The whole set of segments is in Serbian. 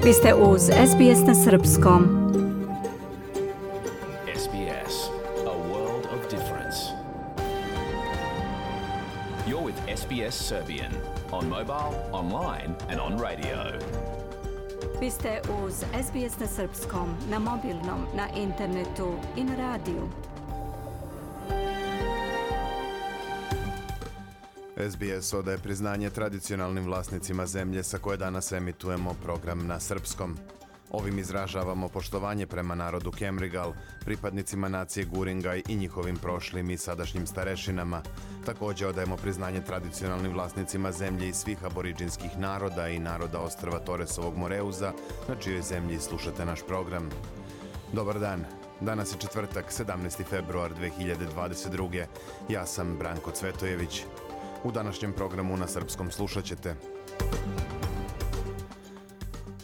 Vi ste uz SBS na srpskom. SBS, a world of difference. You're with SBS Serbian on mobile, online and on radio. Vi ste uz SBS na srpskom, na mobilnom, na internetu i na radiju. SBS odaje priznanje tradicionalnim vlasnicima zemlje sa koje danas emitujemo program na srpskom. Ovim izražavamo poštovanje prema narodu Kemrigal, pripadnicima nacije Guringaj i njihovim prošlim i sadašnjim starešinama. Također odajemo priznanje tradicionalnim vlasnicima zemlje i svih aboriđinskih naroda i naroda ostrva Toresovog Moreuza, na čijoj zemlji slušate naš program. Dobar dan. Danas je četvrtak, 17. februar 2022. Ja sam Branko Cvetojević. U današnjem programu na srpskom slušat ćete: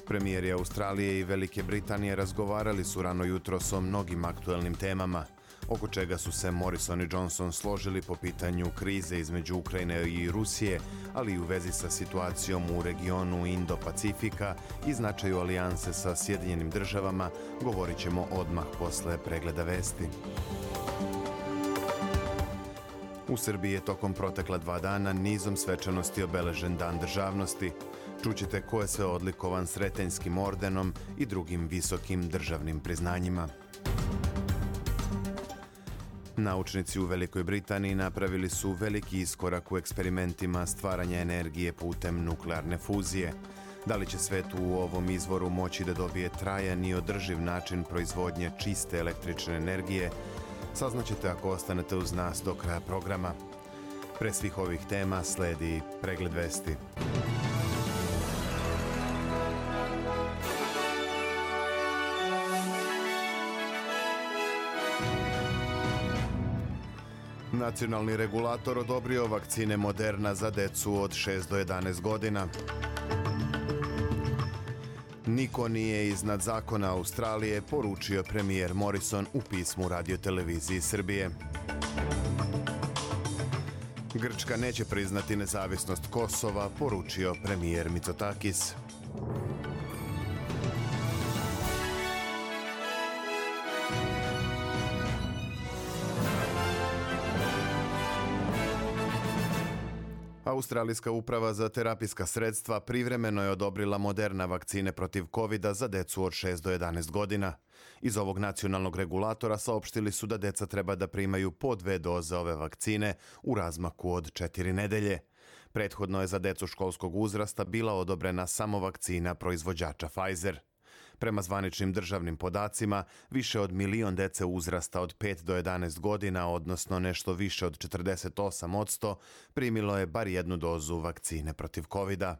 premijeri Australije i Velike Britanije razgovarali su rano jutros o mnogim aktuelnim temama, oko čega su se Morrison i Johnson složili po pitanju krize između Ukrajine i Rusije, ali i u vezi sa situacijom u regionu Indo-Pacifika i značaju alijanse sa Sjedinjenim državama, govorit ćemo odmah posle pregleda vesti. U Srbiji je tokom protekla 2 dana nizom svečanosti obeležen Dan državnosti. Čućete ko je sve odlikovan Sretenjskim ordenom i drugim visokim državnim priznanjima. Naučnici u Velikoj Britaniji napravili su veliki iskorak u eksperimentima stvaranja energije putem nuklearne fuzije. Da li će svet u ovom izvoru moći da dobije trajan i održiv način proizvodnje čiste električne energije, saznaćete ako ostanete uz nas do kraja programa. Pre svih ovih tema sledi pregled vesti. Nacionalni regulator odobrio vakcine Moderna za decu od 6 do 11 godina. Niko nije iznad zakona Australije, poručio premijer Morrison u pismu radioteleviziji Srbije. Grčka neće priznati nezavisnost Kosova, poručio premijer Mitsotakis. Australijska uprava za terapijska sredstva privremeno je odobrila Moderna vakcine protiv COVID-a za decu od 6 do 11 godina. Iz ovog nacionalnog regulatora saopštili su da deca treba da primaju po 2 doze ove vakcine u razmaku od 4 nedelje. Prethodno je za decu školskog uzrasta bila odobrena samo vakcina proizvođača Pfizer. Prema zvaničnim državnim podacima, više od 1 milion dece uzrasta od 5 do 11 godina, odnosno nešto više od 48%, primilo je bar 1 dozu vakcine protiv COVID-a.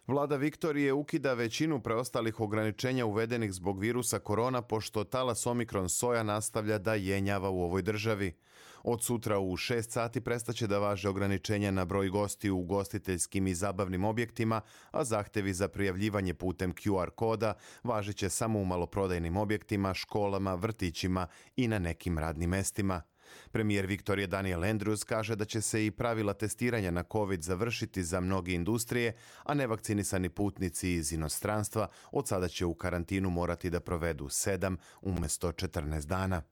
Vlada Viktorije ukida većinu preostalih ograničenja uvedenih zbog virusa korona, pošto talas Omikron soja nastavlja da jenjava u ovoj državi. Od sutra u 6 sati prestaće da važe ograničenja na broj gostiju u ugostiteljskim i zabavnim objektima, a zahtevi za prijavljivanje putem QR koda važiće samo u maloprodajnim objektima, školama, vrtićima i na nekim radnim mestima. Premijer Viktorije Daniel Andrews kaže da će se i pravila testiranja na COVID završiti za mnoge industrije, a nevakcinisani putnici iz inostranstva od sada će u karantinu morati da provedu 7 umjesto 14 dana.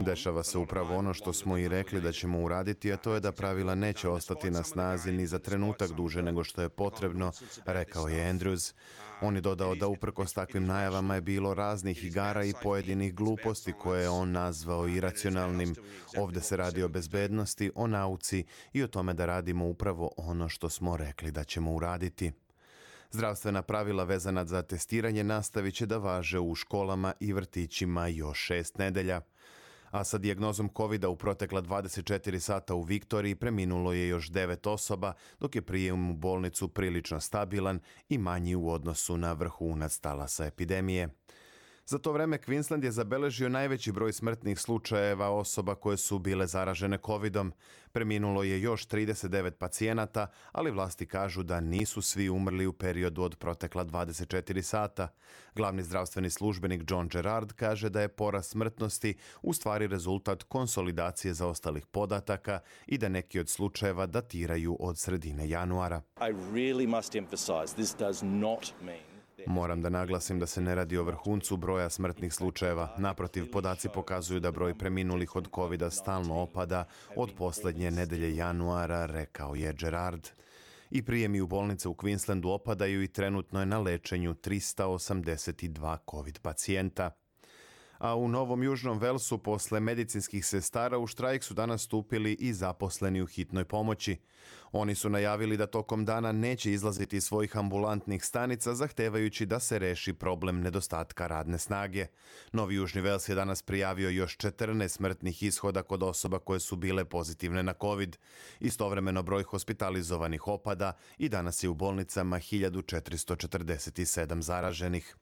Dešava se upravo ono što smo i rekli da ćemo uraditi, a to je da pravila neće ostati na snazi ni za trenutak duže nego što je potrebno, rekao je Andrews. On je dodao da uprkos takvim najavama je bilo raznih igara i pojedinih gluposti koje je on nazvao iracionalnim. Ovdje se radi o bezbednosti, o nauci i o tome da radimo upravo ono što smo rekli da ćemo uraditi. Zdravstvena pravila vezana za testiranje nastavit će da važe u školama i vrtićima još 6 nedelja. A sa dijagnozom COVID-a u protekla 24 sata u Viktoriji preminulo je još 9 osoba, dok je prijem u bolnicu prilično stabilan i manji u odnosu na vrhunac talasa epidemije. Za to vreme Queensland je zabeležio najveći broj smrtnih slučajeva osoba koje su bile zaražene covidom. Preminulo je još 39 pacijenata, ali vlasti kažu da nisu svi umrli u periodu od protekla 24 sata. Glavni zdravstveni službenik John Gerard kaže da je porast smrtnosti u stvari rezultat konsolidacije zaostalih podataka i da neki od slučajeva datiraju od sredine januara. Moram da naglasim da se ne radi o vrhuncu broja smrtnih slučajeva. Naprotiv, podaci pokazuju da broj preminulih od covida stalno opada od posljednje nedelje januara, rekao je Gerard. I prijemi u bolnice u Queenslandu opadaju i trenutno je na lečenju 382 covid pacijenta. A u Novom Južnom Velsu posle medicinskih sestara u štrajk su danas stupili i zaposleni u hitnoj pomoći. Oni su najavili da tokom dana neće izlaziti iz svojih ambulantnih stanica zahtevajući da se reši problem nedostatka radne snage. Novi Južni Vels je danas prijavio još 14 smrtnih ishoda kod osoba koje su bile pozitivne na COVID. Istovremeno broj hospitalizovanih opada i danas je u bolnicama 1447 zaraženih.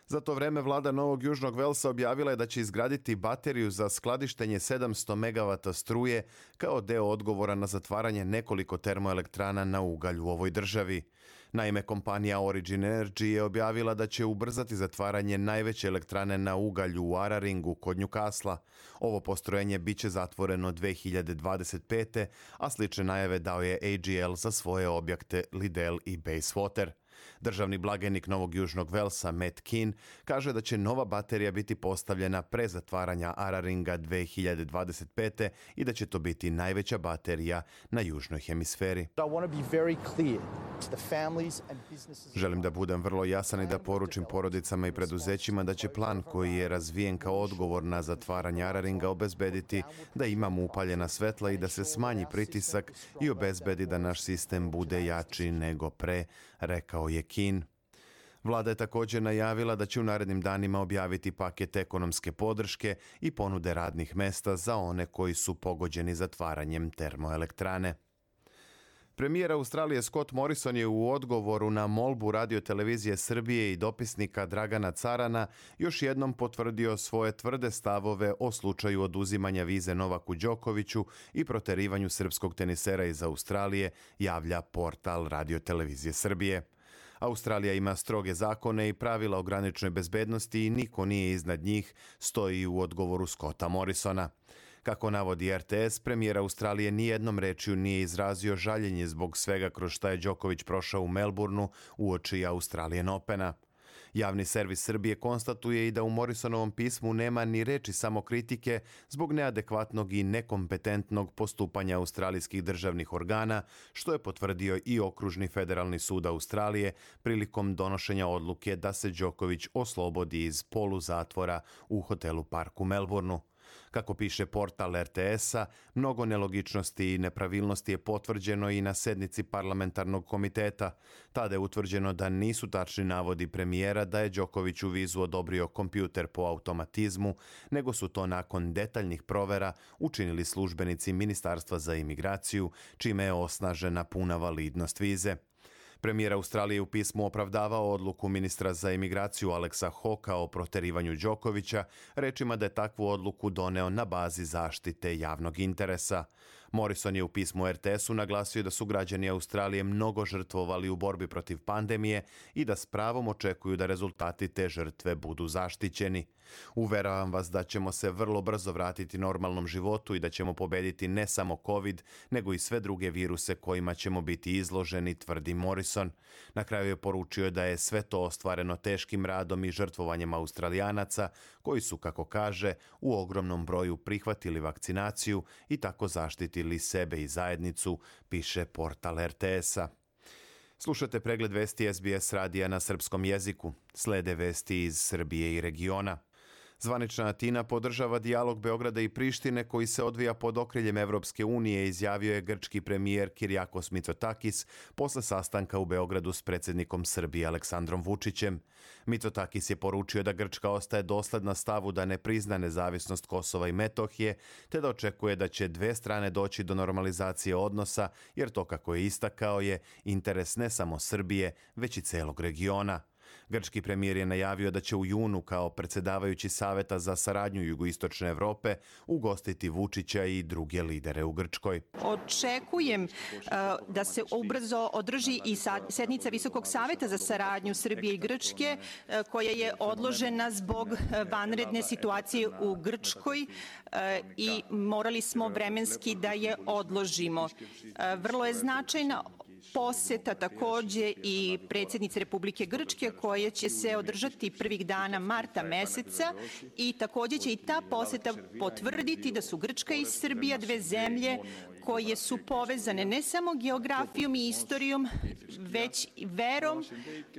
Za to vreme vlada Novog Južnog Velsa objavila je da će izgraditi bateriju za skladištenje 700 MW struje kao deo odgovora na zatvaranje nekoliko termoelektrana na ugalj u ovoj državi. Naime, kompanija Origin Energy je objavila da će ubrzati zatvaranje najveće elektrane na ugalj u Araringu kod Newcastle. Ovo postrojenje biće zatvoreno 2025. a slične najave dao je AGL za svoje objekte Liddell i Bayswater. Državni blagajnik Novog Južnog Velsa, Matt Keane, kaže da će nova baterija biti postavljena pre zatvaranja Araringa 2025. i da će to biti najveća baterija na južnoj hemisferi. Želim da budem vrlo jasan i da poručim porodicama i preduzećima da će plan koji je razvijen kao odgovor na zatvaranje Araringa obezbediti da imamo upaljena svetla i da se smanji pritisak i obezbedi da naš sistem bude jači nego pre, rekao je Keane. Vlada je također najavila da će u narednim danima objaviti paket ekonomske podrške i ponude radnih mesta za one koji su pogođeni zatvaranjem termoelektrane. Premijer Australije Scott Morrison je u odgovoru na molbu Radio-televizije Srbije i dopisnika Dragana Carana još jednom potvrdio svoje tvrde stavove o slučaju oduzimanja vize Novaku Đokoviću i proterivanju srpskog tenisera iz Australije, javlja portal Radio-televizije Srbije. Australija ima stroge zakone i pravila o graničnoj bezbednosti i niko nije iznad njih, stoji u odgovoru Scotta Morrisona. Kako navodi RTS, premijer Australije nijednom rečju nije izrazio žaljenje zbog svega kroz šta je Đoković prošao u Melbourneu uoči Australian Opena. Javni servis Srbije konstatuje i da u Morrisonovom pismu nema ni reči samokritike zbog neadekvatnog i nekompetentnog postupanja australijskih državnih organa, što je potvrdio i Okružni federalni sud Australije prilikom donošenja odluke da se Đoković oslobodi iz poluzatvora u hotelu Park u Melbourneu. Kako piše portal RTS-a, mnogo nelogičnosti i nepravilnosti je potvrđeno i na sednici parlamentarnog komiteta. Tada je utvrđeno da nisu tačni navodi premijera da je Đokoviću vizu odobrio kompjuter po automatizmu, nego su to nakon detaljnih provera učinili službenici Ministarstva za imigraciju, čime je osnažena puna validnost vize. Premijer Australije u pismu opravdavao odluku ministra za imigraciju Alexa Hawkea o proterivanju Đokovića, rečima da je takvu odluku doneo na bazi zaštite javnog interesa. Morrison je u pismu RTS-u naglasio da su građani Australije mnogo žrtvovali u borbi protiv pandemije i da s pravom očekuju da rezultati te žrtve budu zaštićeni. Uveravam vas da ćemo se vrlo brzo vratiti normalnom životu i da ćemo pobediti ne samo COVID, nego i sve druge viruse kojima ćemo biti izloženi, tvrdi Morrison. Na kraju je poručio da je sve to ostvareno teškim radom i žrtvovanjem Australijanaca, koji su, kako kaže, u ogromnom broju prihvatili vakcinaciju i tako zaštitili sebe i zajednicu, piše portal RTS-a. Slušate pregled vesti SBS radija na srpskom jeziku. Slede vesti iz Srbije i regiona. Zvanična Atina podržava dijalog Beograda i Prištine koji se odvija pod okriljem Evropske unije, izjavio je grčki premijer Kyriakos Mitsotakis posle sastanka u Beogradu s predsjednikom Srbije Aleksandrom Vučićem. Mitsotakis je poručio da Grčka ostaje dosledna stavu da ne prizna nezavisnost Kosova i Metohije, te da očekuje da će dve strane doći do normalizacije odnosa, jer to, kako je istakao, je interes ne samo Srbije, već i celog regiona. Grčki premijer je najavio da će u junu kao predsjedavajući Saveta za saradnju Jugoistočne Evrope ugostiti Vučića i druge lidere u Grčkoj. Očekujem da se ubrzo održi i sednica Visokog saveta za saradnju Srbije i Grčke, koja je odložena zbog vanredne situacije u Grčkoj i morali smo vremenski da je odložimo. Vrlo je značajna poseta takođe i predsjednice Republike Grčke, koja će se održati prvih dana marta meseca, i takođe će i ta poseta potvrditi da su Grčka i Srbija dve zemlje koje su povezane ne samo geografijom i istorijom, već i verom,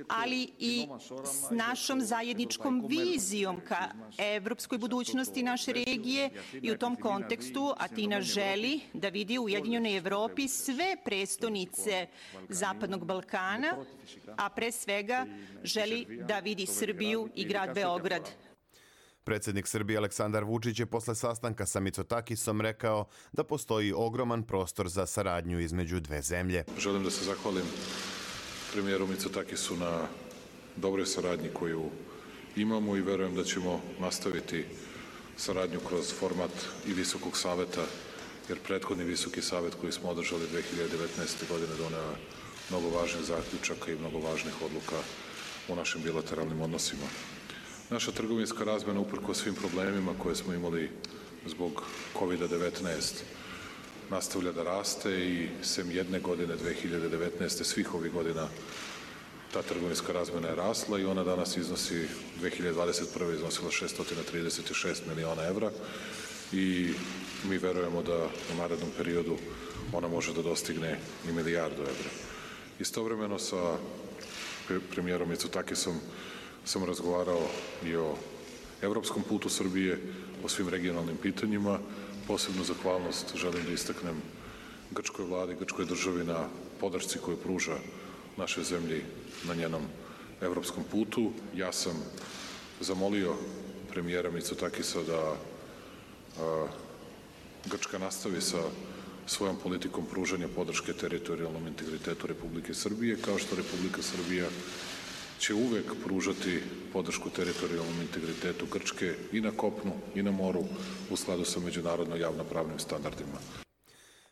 ali i s našom zajedničkom vizijom ka evropskoj budućnosti naše regije, i u tom kontekstu Atina želi da vidi u Ujedinjenoj Evropi sve prestonice Zapadnog Balkana, a pre svega želi da vidi Srbiju i grad Beograd. Predsjednik Srbije Aleksandar Vučić je posle sastanka sa Mitsotakisom rekao da postoji ogroman prostor za saradnju između dve zemlje. Želim da se zahvalim premijeru Mitsotakisu na dobroj saradnji koju imamo i verujem da ćemo nastaviti saradnju kroz format i Visokog saveta, jer prethodni Visoki savet koji smo održali 2019. godine doneo mnogo važnih zaključaka i mnogo važnih odluka u našim bilateralnim odnosima. Naša trgovinska razmena, uprkos svim problemima koje smo imali zbog COVID-19, nastavlja da raste i sem jedne godine, 2019. svih ovih godina ta trgovinska razmena je rasla i ona danas iznosi, 2021. iznosila 636 miliona evra i mi verujemo da u narednom periodu ona može da dostigne i milijardu evra. Istovremeno sa premijerom Mitsotakisom sam razgovarao i o evropskom putu Srbije, o svim regionalnim pitanjima. Posebnu zahvalnost želim da istaknem grčkoj vladi, grčkoj državi na podršci koju pruža našoj zemlji na njenom evropskom putu. Ja sam zamolio premijera Mitsotakisa da Grčka nastavi sa svojom politikom pružanja podrške teritorijalnom integritetu Republike Srbije, kao što Republika Srbija će uvek pružati podršku teritorijalnom integritetu Grčke i na kopnu i na moru u skladu sa međunarodno javnopravnim standardima.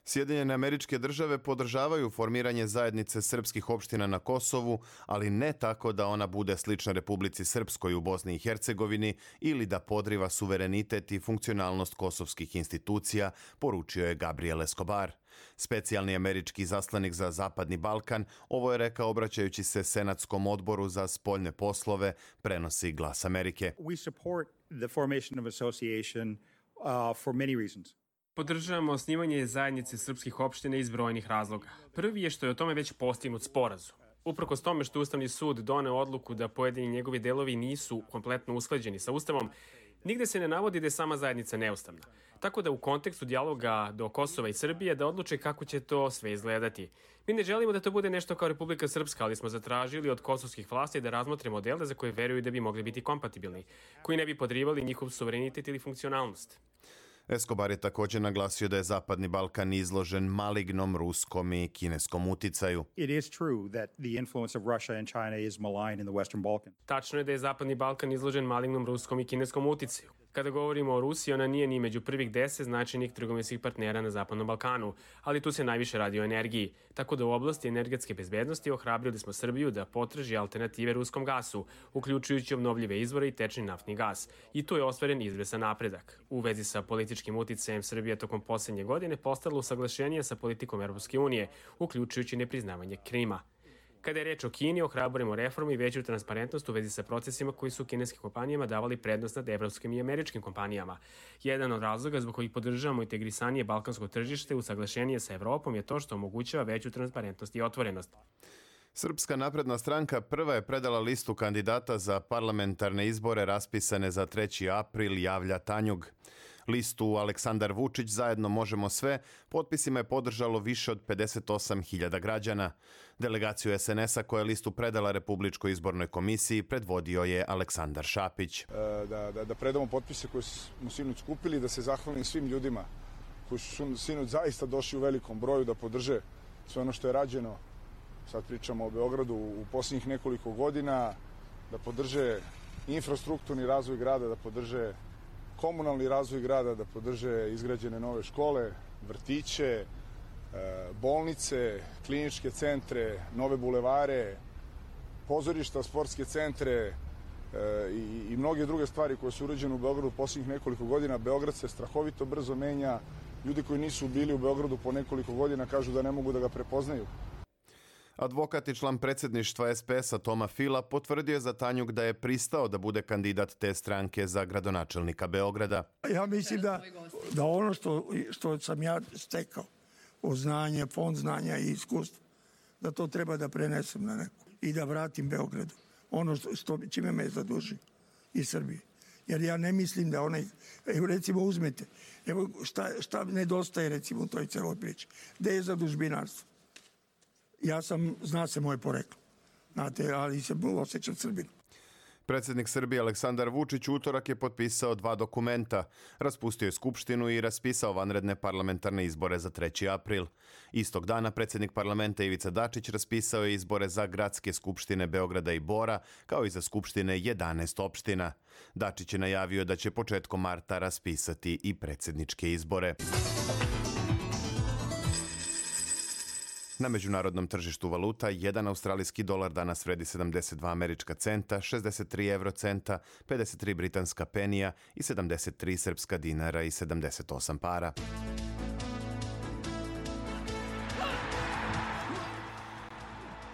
Sjedinjene Američke Države podržavaju formiranje zajednice srpskih opština na Kosovu, ali ne tako da ona bude slična Republici Srpskoj u Bosni i Hercegovini ili da podriva suverenitet i funkcionalnost kosovskih institucija, poručio je Gabriel Escobar. Specijalni američki izaslanik za Zapadni Balkan ovo je rekao obraćajući se Senatskom odboru za spoljne poslove, prenosi Glas Amerike. We support the formation of association for many reasons. Podržavamo osnivanje zajednice srpskih opština iz brojnih razloga. Prvi je što je o tome već postignut sporazum. Uprkos tome što Ustavni sud doneo odluku da pojedini njegovi delovi nisu kompletno usklađeni sa Ustavom, nigde se ne navodi da je sama zajednica neustavna. Tako da u kontekstu dijaloga do Kosova i Srbije da odluče kako će to sve izgledati. Mi ne želimo da to bude nešto kao Republika Srpska, ali smo zatražili od kosovskih vlasti da razmotre modele za koje veruju da bi mogli biti kompatibilni, koji ne bi podrivali njihov suverenitet ili funkcionalnost. Escobar je također naglasio da je Zapadni Balkan izložen malignom ruskom i kineskom uticaju. It is true that the influence of Russia and China is malign in the Western Balkans. Tačno je da je Zapadni Balkan izložen malignom ruskom i kineskom uticaju. Kada govorimo o Rusiji, ona nije ni među prvih 10 značajnih trgovinskih partnera na Zapadnom Balkanu, ali tu se najviše radi o energiji. Tako da u oblasti energetske bezbednosti ohrabrili smo Srbiju da potraži alternative ruskom gasu, uključujući obnovljive izvore i tečni naftni gas. I tu je ostvaren izvestan napredak. U vezi sa političkim uticajem Srbija tokom posljednje godine postala usaglašenija sa politikom Europske unije, uključujući nepriznavanje Krima. Kada je reč o Kini, ohrabrujemo reformu i veću transparentnost u vezi sa procesima koji su kineskim kompanijama davali prednost nad evropskim i američkim kompanijama. Jedan od razloga zbog kojih podržavamo integrisanije balkansko tržište usaglašenije sa Evropom je to što omogućava veću transparentnost i otvorenost. Srpska napredna stranka prva je predala listu kandidata za parlamentarne izbore raspisane za 3. april, javlja Tanjug. Listu Aleksandar Vučić zajedno možemo sve potpisima je podržalo više od 58.000 građana. Delegaciju SNS-a koja je listu predala Republičkoj izbornoj komisiji predvodio je Aleksandar Šapić. Da predamo potpise koje smo sinoć skupili, da se zahvalim svim ljudima koji su sinoć zaista došli u velikom broju da podrže sve ono što je rađeno. Sad pričamo o Beogradu u posljednjih nekoliko godina, da podrže infrastrukturni razvoj grada, da podrže komunalni razvoj grada, da podrže izgrađene nove škole, vrtiće, bolnice, kliničke centre, nove bulevare, pozorišta, sportske centre i mnoge druge stvari koje su urađene u Beogradu posljednjih nekoliko godina. Beograd se strahovito brzo menja. Ljudi koji nisu bili u Beogradu po nekoliko godina kažu da ne mogu da ga prepoznaju. Advokat i član predsjedništva SPS-a Toma Fila potvrdio je za Tanjug da je pristao da bude kandidat te stranke za gradonačelnika Beograda. Ja mislim da ono što sam ja stekao od znanja, fond znanja i iskustva, da to treba da prenesem na neko i da vratim Beogradu. Ono čime me je zadužio i Srbije. Jer ja ne mislim da onaj, recimo uzmete, evo šta nedostaje recimo u toj celoj priči. Gde je zadužbinarstvo? Zna se moje poreklo, znate, ali se osjećam Srbinu. Predsjednik Srbije Aleksandar Vučić utorak je potpisao 2 dokumenta. Raspustio je skupštinu i raspisao vanredne parlamentarne izbore za 3. april. Istog dana predsjednik parlamenta Ivica Dačić raspisao je izbore za gradske skupštine Beograda i Bora, kao i za skupštine 11 opština. Dačić je najavio da će početkom marta raspisati i predsjedničke izbore. Na međunarodnom tržištu valuta, 1 australijski dolar danas vredi 72 američka centa, 63 eurocenta, 53 britanska penija i 73 srpska dinara i 78 para.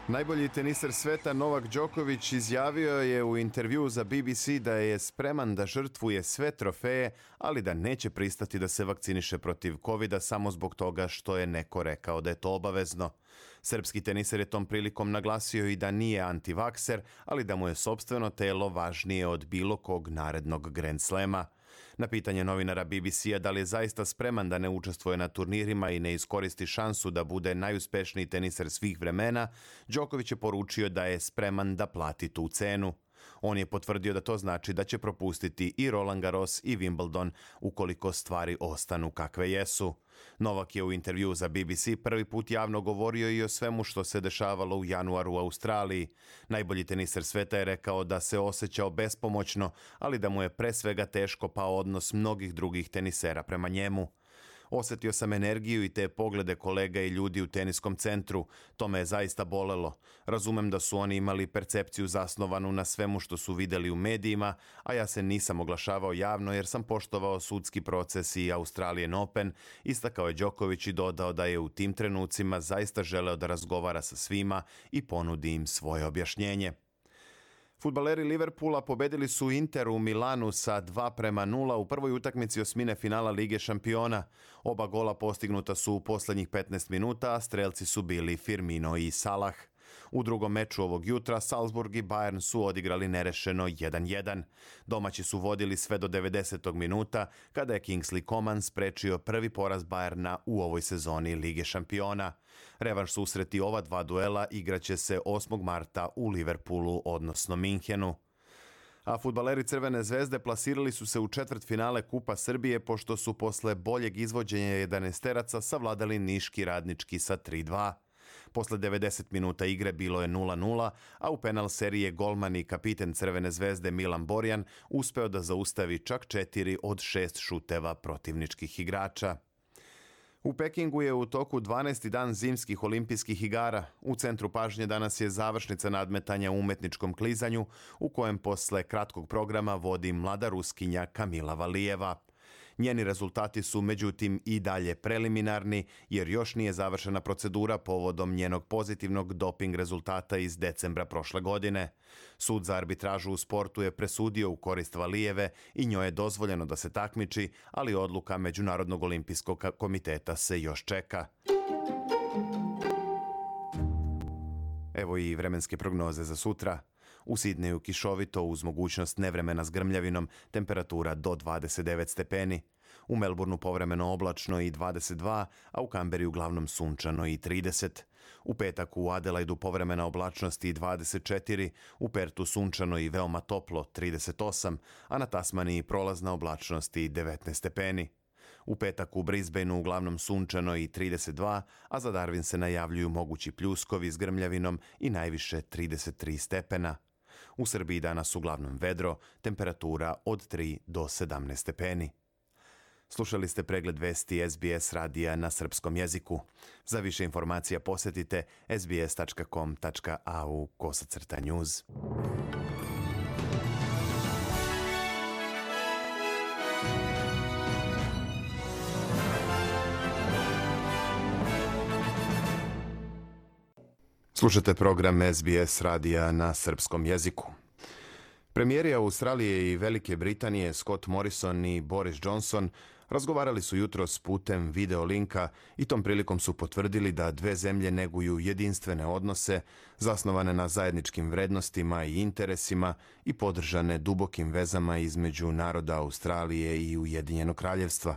Najbolji teniser sveta Novak Đoković izjavio je u intervjuu za BBC da je spreman da žrtvuje sve trofeje, ali da neće pristati da se vakciniše protiv covida samo zbog toga što je neko rekao da je to obavezno. Srpski teniser je tom prilikom naglasio i da nije antivakser, ali da mu je sopstveno telo važnije od bilo kog narednog Grand Slema. Na pitanje novinara BBC-a da li je zaista spreman da ne učestvuje na turnirima i ne iskoristi šansu da bude najuspešniji teniser svih vremena, Đoković je poručio da je spreman da plati tu cenu. On je potvrdio da to znači da će propustiti i Roland Garros i Wimbledon ukoliko stvari ostanu kakve jesu. Novak je u intervjuu za BBC prvi put javno govorio i o svemu što se dešavalo u januaru u Australiji. Najbolji teniser sveta je rekao da se osjećao bespomoćno, ali da mu je pre svega teško pao odnos mnogih drugih tenisera prema njemu. Osjetio sam energiju i te poglede kolega i ljudi u teniskom centru. To me je zaista bolelo. Razumem da su oni imali percepciju zasnovanu na svemu što su vidjeli u medijima, a ja se nisam oglašavao javno jer sam poštovao sudski proces i Australian Open, istakao je Đoković i dodao da je u tim trenucima zaista želeo da razgovara sa svima i ponudi im svoje objašnjenje. Fudbaleri Liverpoola pobedili su Inter u Milanu sa 2:0 u prvoj utakmici osmine finala Lige šampiona. Oba gola postignuta su u posljednjih 15 minuta, a strelci su bili Firmino i Salah. U drugom meču ovog jutra Salzburg i Bayern su odigrali nerešeno 1:1. Domaći su vodili sve do 90. minuta, kada je Kingsley Coman sprečio prvi poraz Bayerna u ovoj sezoni Lige šampiona. Revanš susreti ova 2 duela igraće se 8. marta u Liverpoolu, odnosno Minhenu. A fudbaleri Crvene zvezde plasirali su se u četvrtfinale Kupa Srbije pošto su posle boljeg izvođenja 11-teraca savladali Niški Radnički sa 3:2. Posle 90 minuta igre bilo je 0:0, a u penal serije golman i kapiten Crvene zvezde Milan Borjan uspeo da zaustavi čak 4 od 6 šuteva protivničkih igrača. U Pekingu je u toku 12. dan zimskih olimpijskih igara. U centru pažnje danas je završnica nadmetanja u umetničkom klizanju, u kojem posle kratkog programa vodi mlada Ruskinja Kamila Valijeva. Njeni rezultati su međutim i dalje preliminarni jer još nije završena procedura povodom njenog pozitivnog doping rezultata iz decembra prošle godine. Sud za arbitražu u sportu je presudio u korist Valijeve i njoj je dozvoljeno da se takmiči, ali odluka Međunarodnog olimpijskog komiteta se još čeka. Evo i vremenske prognoze za sutra. U Sidneju kišovito uz mogućnost nevremena s grmljavinom, temperatura do 29 stepeni. U Melbourneu povremeno oblačno i 22, a u Kamberi uglavnom sunčano i 30. U petak u Adelaidu povremena oblačnost i 24, u Pertu sunčano i veoma toplo 38, a na Tasmaniji prolazna oblačnost i 19 stepeni. U petak u Brisbaneu uglavnom sunčano i 32, a za Darwin se najavljuju mogući pljuskovi s grmljavinom i najviše 33 stepena. U Srbiji danas uglavnom vedro, temperatura od 3 do 17 stepeni. Slušali ste pregled vesti SBS radija na srpskom jeziku. Za više informacija posjetite sbs.com.au/news. Slušate program SBS radija na srpskom jeziku. Premijeri Australije i Velike Britanije Scott Morrison i Boris Johnson razgovarali su jutros putem video linka i tom prilikom su potvrdili da dve zemlje neguju jedinstvene odnose zasnovane na zajedničkim vrednostima i interesima i podržane dubokim vezama između naroda Australije i Ujedinjenog kraljevstva.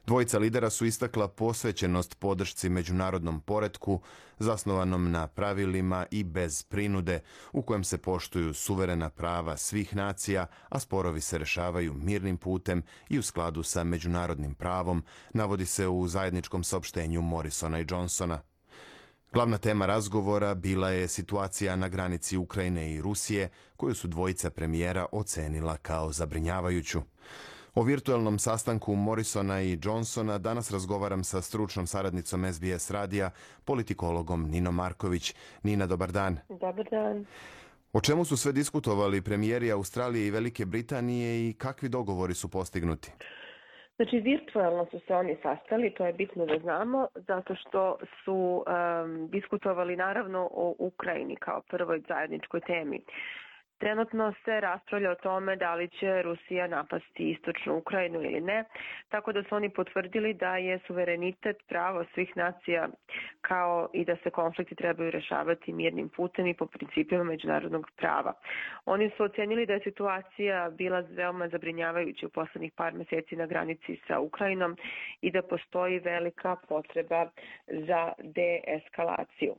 Dvojica lidera su istakla posvećenost podršci međunarodnom poretku zasnovanom na pravilima i bez prinude, u kojem se poštuju suverena prava svih nacija, a sporovi se rešavaju mirnim putem i u skladu sa međunarodnim pravom, navodi se u zajedničkom saopštenju Morrisona i Johnsona. Glavna tema razgovora bila je situacija na granici Ukrajine i Rusije, koju su dvojica premijera ocenila kao zabrinjavajuću. O virtualnom sastanku Morrisona i Johnsona danas razgovaram sa stručnom saradnicom SBS radija, politikologom Ninom Marković. Nina, dobar dan. Dobar dan. O čemu su sve diskutovali premijeri Australije i Velike Britanije i kakvi dogovori su postignuti? Znači, virtualno su se oni sastali, to je bitno da znamo, zato što su diskutovali naravno o Ukrajini kao prvoj zajedničkoj temi. Trenutno se raspravlja o tome da li će Rusija napasti istočnu Ukrajinu ili ne, tako da su oni potvrdili da je suverenitet pravo svih nacija kao i da se konflikti trebaju rešavati mirnim putem i po principima međunarodnog prava. Oni su ocenili da je situacija bila veoma zabrinjavajuća u poslednjih par meseci na granici sa Ukrajinom i da postoji velika potreba za deeskalaciju.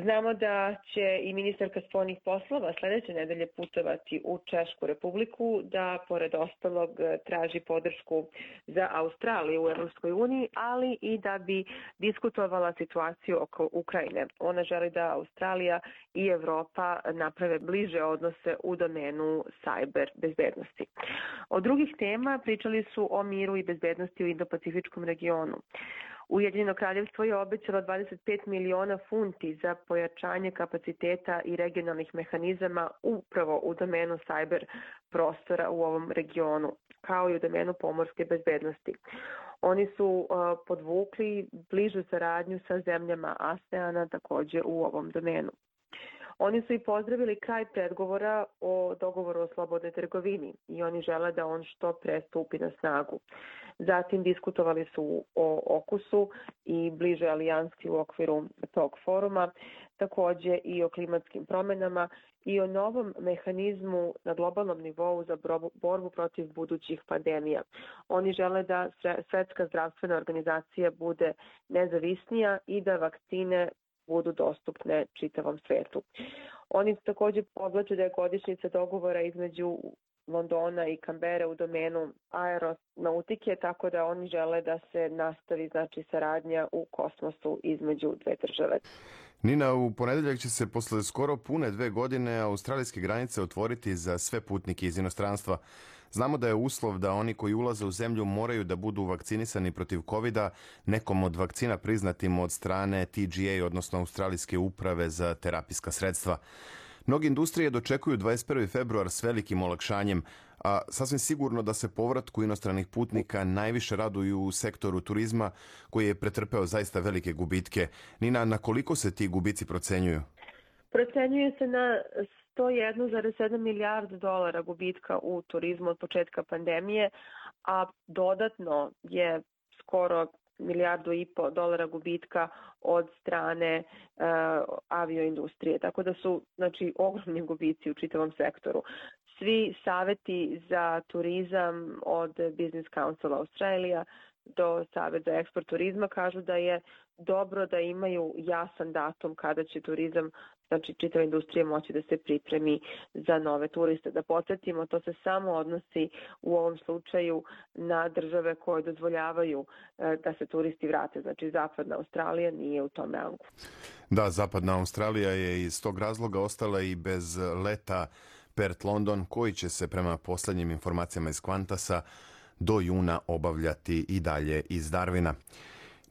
Znamo da će i ministarka spoljnih poslova sledeće nedelje putovati u Češku Republiku, da pored ostalog traži podršku za Australiju u Evropskoj uniji, ali i da bi diskutovala situaciju oko Ukrajine. Ona želi da Australija i Evropa naprave bliže odnose u domenu sajber bezbednosti. Od drugih tema pričali su o miru i bezbednosti u Indo-Pacifičkom regionu. Ujedinjeno kraljevstvo je obećalo 25 miliona funti za pojačanje kapaciteta i regionalnih mehanizama upravo u domenu sajber prostora u ovom regionu, kao i u domenu pomorske bezbednosti. Oni su podvukli bližu saradnju sa zemljama ASEANA takođe u ovom domenu. Oni su i pozdravili kraj pregovora o dogovoru o slobodnoj trgovini i oni žele da on što pre stupi na snagu. Zatim diskutovali su o okusu i bliže alijansi u okviru tog foruma, takođe i o klimatskim promenama i o novom mehanizmu na globalnom nivou za borbu protiv budućih pandemija. Oni žele da Svetska zdravstvena organizacija bude nezavisnija i da vakcine budu dostupne čitavom svetu. Oni takođe podvlače da je godišnjica dogovora između Londona i Kambere u domenu aeronautike, tako da oni žele da se nastavi saradnja u kosmosu između dve države. Nina, u ponedeljak će se posle skoro pune 2 godine australijske granice otvoriti za sve putnike iz inostranstva. Znamo da je uslov da oni koji ulaze u zemlju moraju da budu vakcinisani protiv COVID-a nekom od vakcina priznatim od strane TGA, odnosno Australijske uprave za terapijska sredstva. Mnogi industrije dočekuju 21. februar s velikim olakšanjem, a sasvim sigurno da se povratku inostranih putnika najviše raduju u sektoru turizma koji je pretrpeo zaista velike gubitke. Nina, na koliko se ti gubici procenjuju? Procenjuje se na 101,7 milijardi dolara gubitka u turizmu od početka pandemije, a dodatno je skoro 1,5 milijardu dolara gubitka od strane avioindustrije. Tako da su ogromni gubici u čitavom sektoru. Svi saveti za turizam od Business Council Australia do Savet za eksport turizma kažu da je dobro da imaju jasan datum kada će turizam, znači čitava industrija, moći da se pripremi za nove turiste. Da podsjetimo, to se samo odnosi u ovom slučaju na države koje dozvoljavaju da se turisti vrate. Znači Zapadna Australija nije u tom rangu. Da, Zapadna Australija je iz tog razloga ostala i bez leta Perth-London, koji će se prema posljednjim informacijama iz Qantasa do juna obavljati i dalje iz Darwina.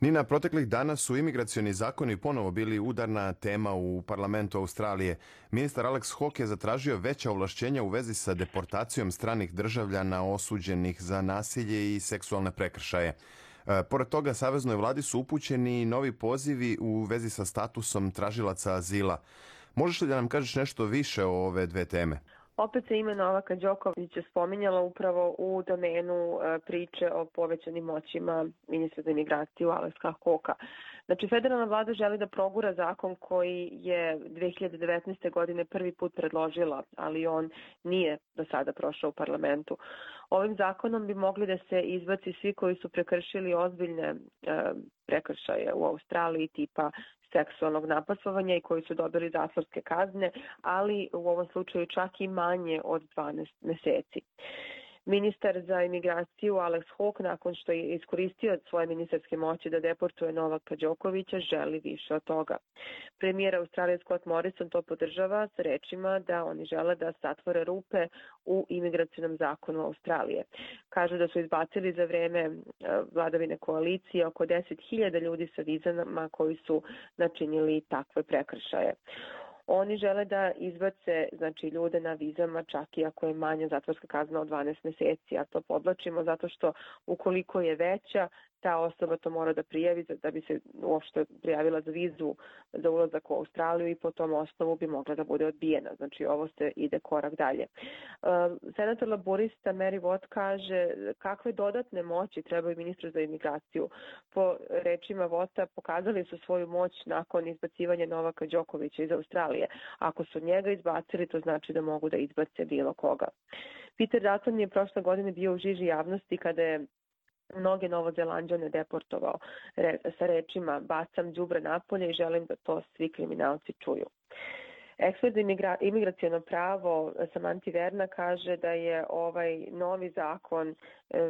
Nina, proteklih dana su imigracioni zakoni ponovo bili udarna tema u parlamentu Australije. Ministar Alex Hawke je zatražio veća ovlašćenja u vezi sa deportacijom stranih državljana osuđenih za nasilje i seksualne prekršaje. Pored toga, saveznoj vladi su upućeni novi pozivi u vezi sa statusom tražilaca azila. Možeš li da nam kažeš nešto više o ove dve teme? Opet se ime Novaka Đokovića spominjala upravo u domenu priče o povećanim moćima ministra za imigraciju Alexa Hawkea. Znači, federalna vlada želi da progura zakon koji je 2019. godine prvi put predložila, ali on nije do sada prošao u parlamentu. Ovim zakonom bi mogli da se izbaci svi koji su prekršili ozbiljne prekršaje u Australiji tipa seksualnog napasovanja i koji su dobili zatvorske kazne, ali u ovom slučaju čak i manje od 12 meseci. Ministar za imigraciju Alex Hawke, nakon što je iskoristio svoje ministarske moći da deportuje Novaka Đokovića, želi više od toga. Premijer Australije Scott Morrison to podržava sa rečima da oni žele da zatvore rupe u imigracionom zakonu Australije. Kažu da su izbacili za vreme vladavine koalicije oko 10.000 ljudi sa vizama koji su načinili takve prekršaje. Oni žele da izbace, znači, ljude na vizama čak i ako je manja zatvorska kazna od 12 meseci, a to podlačimo zato što ukoliko je veća, ta osoba to mora da prijavi da bi se uopšte prijavila za vizu za ulazak u Australiju i po tom osnovu bi mogla da bude odbijena. Znači ovo se ide korak dalje. Senator laborista Mary Watt kaže kakve dodatne moći trebaju ministru za imigraciju. Po rečima Watta pokazali su svoju moć nakon izbacivanja Novaka Đokovića iz Australije. Ako su njega izbacili, to znači da mogu da izbace bilo koga. Peter Dutton je prošle godine bio u žiži javnosti kada je mnoge Novozelanđane deportovao sa rečima bacam đubre napolje i želim da to svi kriminalci čuju. Ekspert za imigraciono pravo Samanti Verna kaže da je ovaj novi zakon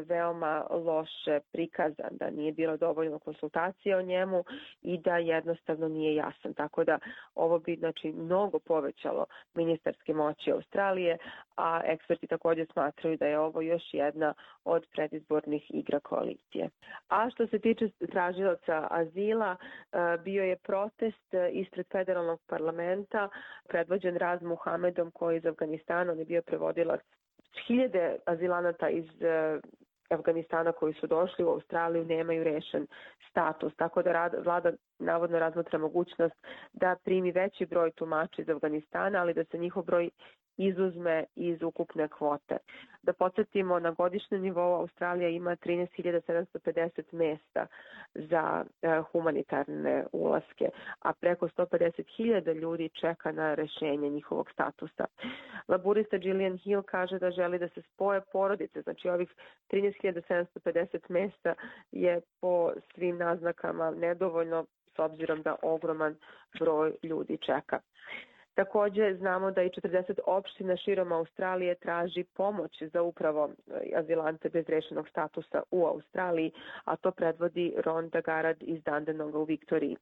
veoma loše prikazan, da nije bilo dovoljno konsultacija o njemu i da jednostavno nije jasan. Tako da ovo bi, znači, mnogo povećalo ministarske moći Australije, a eksperti također smatraju da je ovo još jedna od predizbornih igra koalicije. A što se tiče tražilaca azila, bio je protest ispred federalnog parlamenta predvođen Raz Muhamedom koji je iz Afganistana, on je bio prevodilac. Hiljade azilanata iz Afganistana koji su došli u Australiju nemaju rešen status, tako da vlada navodno razmatra mogućnost da primi veći broj tumača iz Afganistana, ali da se njihov broj izuzme iz ukupne kvote. Da podsjetimo, na godišnjem nivou Australija ima 13.750 mesta za humanitarne ulaske, a preko 150.000 ljudi čeka na rešenje njihovog statusa. Laborista Gillian Hill kaže da želi da se spoje porodice, znači ovih 13.750 mesta je po svim naznakama nedovoljno s obzirom da ogroman broj ljudi čeka. Također znamo da i 40 opština širom Australije traži pomoć za upravo azilante bez rešenog statusa u Australiji, a to predvodi Rhonda Garad iz Dandenonga u Viktoriji.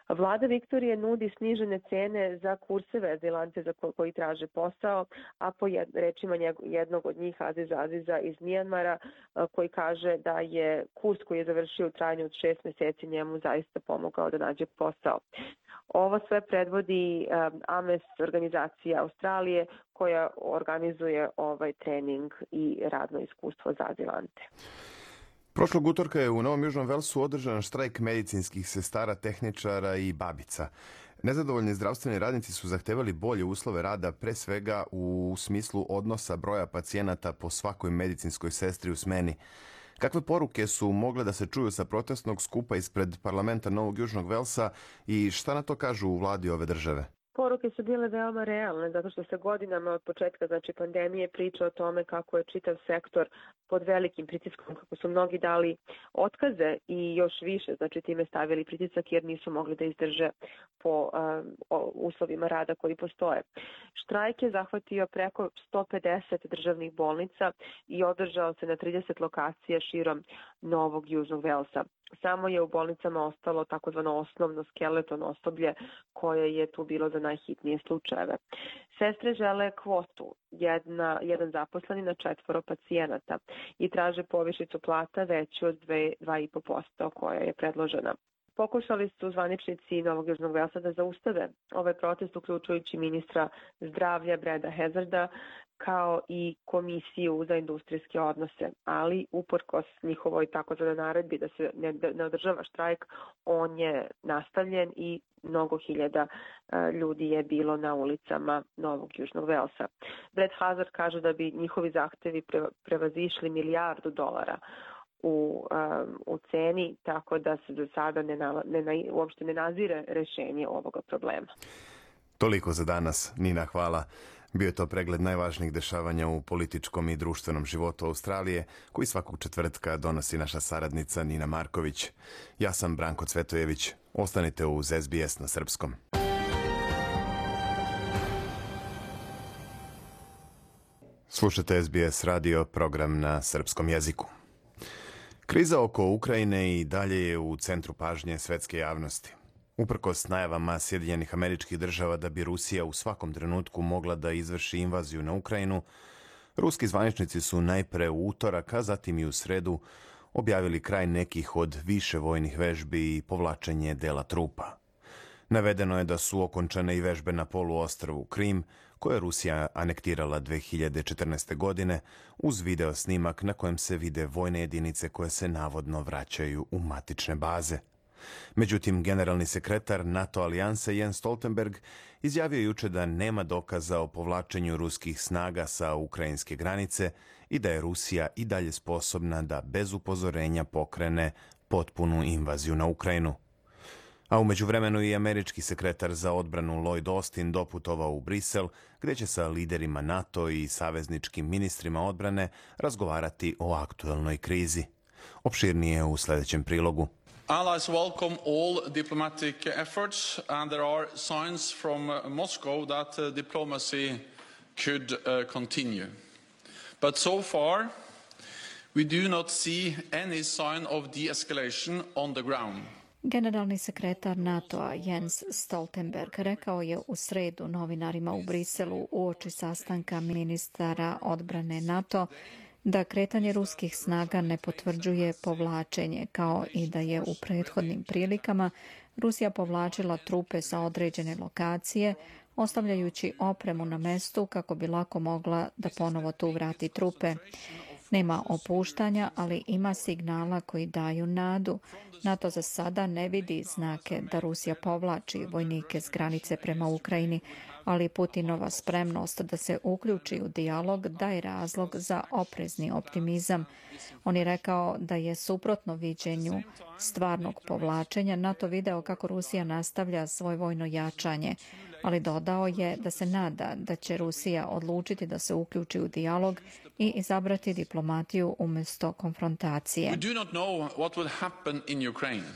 Vlada Viktorije nudi snižene cene za kurseve azilante za koji traže posao, a po rečima jednog od njih, Aziza iz Mijanmara, koji kaže da je kurs koji je završio u trajanju od 6 meseci njemu zaista pomogao da nađe posao. Ovo sve predvodi AMES, organizacija Australije, koja organizuje ovaj trening i radno iskustvo za azilante. Prošlog utorka je u Novom Južnom Velsu održan štrajk medicinskih sestara, tehničara i babica. Nezadovoljni zdravstveni radnici su zahtevali bolje uslove rada, pre svega u smislu odnosa broja pacijenata po svakoj medicinskoj sestri u smeni. Kakve poruke su mogle da se čuju sa protestnog skupa ispred parlamenta Novog Južnog Velsa i šta na to kažu u vladi ove države? Poruke su bile veoma realne, zato što se godinama od početka pandemije priča o tome kako je čitav sektor pod velikim pritiskom, kako su mnogi dali otkaze i još više, time stavili pritisak jer nisu mogli da izdrže po uslovima rada koji postoje. Štrajk je zahvatio preko 150 državnih bolnica i održao se na 30 lokacija širom Novog Južnog Velsa. Samo je u bolnicama ostalo takozvano osnovno skeleton osoblje koje je tu bilo za najhitnije slučajeve. Sestre žele kvotu, jedan zaposleni na 4 pacijenata i traže povišicu plata veću od 2,5% koja je predložena. Pokušali su zvaničnici Novog Južnog Velsa da zaustave ovaj protest, uključujući ministra zdravlja Breda Hazarda, kao i komisiju za industrijske odnose, ali uprkos njihovoj takozvanoj naredbi da se ne održava štrajk, on je nastavljen i mnogo hiljada ljudi je bilo na ulicama Novog Južnog Velsa. Brad Hazard kaže da bi njihovi zahtevi prevazišli $1 milijardu u ceni, tako da se do sada uopšte ne nazire rešenje ovoga problema. Toliko za danas. Nina, hvala. Bio je to pregled najvažnijih dešavanja u političkom i društvenom životu Australije, koji svakog četvrtka donosi naša saradnica Nina Marković. Ja sam Branko Cvetojević. Ostanite uz SBS na srpskom. Slušate SBS radio, program na srpskom jeziku. Kriza oko Ukrajine i dalje je u centru pažnje svetske javnosti. Uprkos najavama Sjedinjenih Američkih Država da bi Rusija u svakom trenutku mogla da izvrši invaziju na Ukrajinu, ruski zvaničnici su najpre u utorak, a zatim i u sredu objavili kraj nekih od više vojnih vežbi i povlačenje dela trupa. Navedeno je da su okončane i vežbe na poluostrvu Krim, koje je Rusija anektirala 2014. godine, uz video snimak na kojem se vide vojne jedinice koje se navodno vraćaju u matične baze. Međutim, generalni sekretar NATO alijanse Jens Stoltenberg izjavio juče da nema dokaza o povlačenju ruskih snaga sa ukrajinske granice i da je Rusija i dalje sposobna da bez upozorenja pokrene potpunu invaziju na Ukrajinu. A u međuvremenu i američki sekretar za odbranu Lloyd Austin doputovao u Brisel, gdje će sa liderima NATO i savezničkim ministrima odbrane razgovarati o aktuelnoj krizi. Opširnije u sljedećem prilogu. Allies welcome all diplomatic efforts, and there are signs from Moscow that diplomacy could continue. But so far, we do not see any sign of de-escalation on the ground. Generalni sekretar NATO-a Jens Stoltenberg rekao je u sredu novinarima u Briselu uoči sastanka ministara odbrane NATO da kretanje ruskih snaga ne potvrđuje povlačenje, kao i da je u prethodnim prilikama Rusija povlačila trupe sa određene lokacije, ostavljajući opremu na mestu kako bi lako mogla da ponovo tu vrati trupe. Nema opuštanja, ali ima signala koji daju nadu. NATO za sada ne vidi znake da Rusija povlači vojnike s granice prema Ukrajini, ali Putinova spremnost da se uključi u dijalog daje razlog za oprezni optimizam. On je rekao da je suprotno viđenju stvarnog povlačenja NATO video kako Rusija nastavlja svoje vojno jačanje, ali dodao je da se nada da će Rusija odlučiti da se uključi u dijalog i izabrati diplomatiju umjesto konfrontacije. We do not know what will happen in Ukraine,